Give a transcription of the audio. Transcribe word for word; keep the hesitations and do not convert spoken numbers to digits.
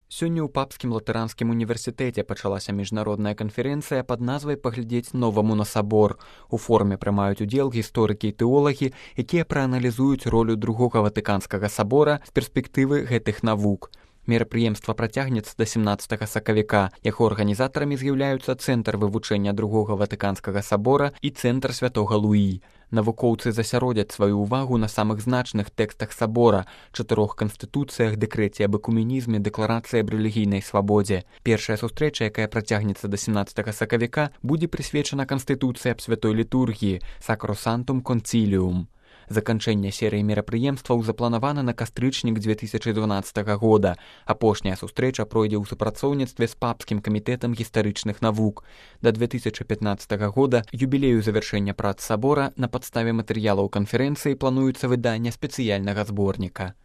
Сёння ў Папскім латаранскім універсітэце пачалася міжнародная канферэнцыя пад назвай «Паглядзець новаму на сабор». У форуме прымаюць удзел гісторыкі і тэолагі, якія прааналізуюць ролю другога ватыканскага сабора з перспектывы гэтых навук. Мерапрыемства працягнецца да сямнаццатага сакавіка. Яго арганізатарамі з'яўляюцца Цэнтр вывучэння другога ватыканскага сабора і Цэнтр святога Луі. Навукоўцы засяродзяць сваю ўвагу на самых значных тэкстах сабора, чатырох канстытуцыях, дэкрэце аб экуменізме, дэкларацыі аб рэлігійнай свабодзе. Першая сустрэча, якая працягнецца да сямнаццатага сакавіка, будзе прысвечана канстытуцыі аб святой літургіі «Sacrosanctum Concilium». Заканчэнне серыі мерапрыемстваў запланавана на кастрычнік дзве тысячы дванаццатага года. Апошняя сустрэча пройдзе ў супрацоўніцтве з Папскім камітэтам гістарычных навук. Да дзве тысячы пятнаццатага года, юбілею завяршэння прац сабора, на падставе матэрыялаў канферэнцыі плануецца выданне спецыяльнага зборніка.